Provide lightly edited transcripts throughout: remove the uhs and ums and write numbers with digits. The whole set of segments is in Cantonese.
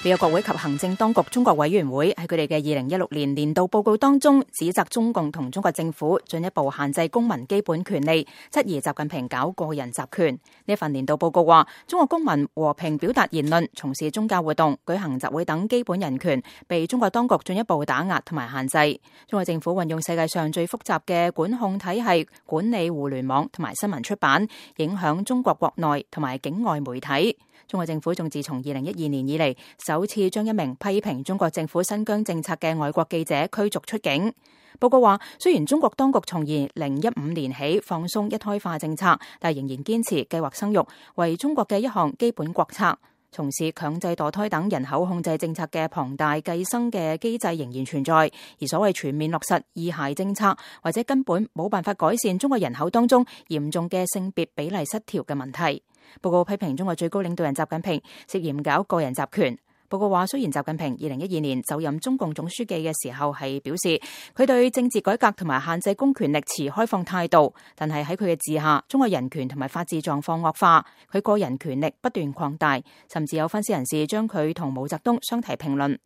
美國國會及行政當局中國委員會喺佢哋嘅2016年年度報告當中，指責中共同中國政府進一步限制公民基本權利，質疑習近平搞個人集權。呢份年度報告話，中國公民和平表達言論、從事宗教活動、舉行集會等基本人權被中國當局進一步打壓同埋限制。中國政府運用世界上最複雜嘅管控體系管理互聯網同埋新聞出版，影響中國國內同埋境外媒體。中國政府仲自從2012年以嚟，首次將一名批評中國政府新疆政策嘅外國記者驅逐出境。報告話，雖然中國當局從2015年起放鬆一胎化政策，但仍然堅持計劃生育為中國嘅一項基本國策。從事強制墮胎等人口控制政策嘅龐大計生嘅機制仍然存在，而所謂全面落實二孩政策，或者根本冇辦法改善中國人口當中嚴重嘅性別比例失調嘅問題。報告批評中國最高領導人習近平涉嫌搞個人集權。報告話，雖然習近平2012年就任中共總書記嘅時候係表示佢對政治改革同埋限制公權力持開放態度，但係喺佢嘅治下，中國人權同埋法治狀況惡化，佢個人權力不斷擴大，甚至有分析人士將佢同毛澤東相提並論。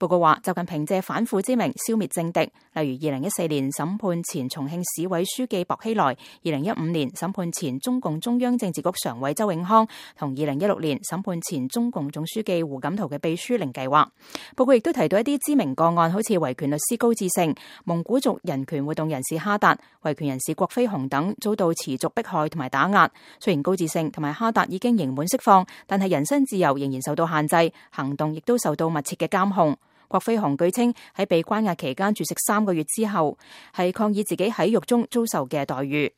報告話，習近平借反腐之名消滅政敵，例如2014年審判前重慶市委書記薄熙來，2015年審判前中共中央政治局常委周永康，同2016年審判前中共總書記胡錦濤嘅秘書令計劃。報告亦都提到一啲知名個案，好似維權律師高志勝、蒙古族人權活動人士哈達、維權人士郭飛雄等遭到持續迫害同埋打壓。雖然高志勝同埋哈達已經刑滿釋放，但係人身自由仍然受到限制，行動亦都受到密切嘅監控。郭飛雄據稱喺被關押期間絕食3個月之後，係抗議自己喺獄中遭受嘅待遇。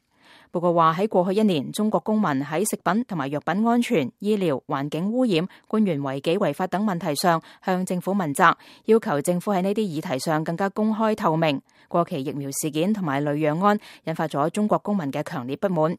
報告話，喺過去1年，中國公民喺食品同埋藥品安全、醫療、環境污染、官員違紀違法等問題上向政府問責，要求政府喺呢啲議題上更加公開透明。過期疫苗事件同埋雷洋案引發咗中國公民嘅強烈不滿，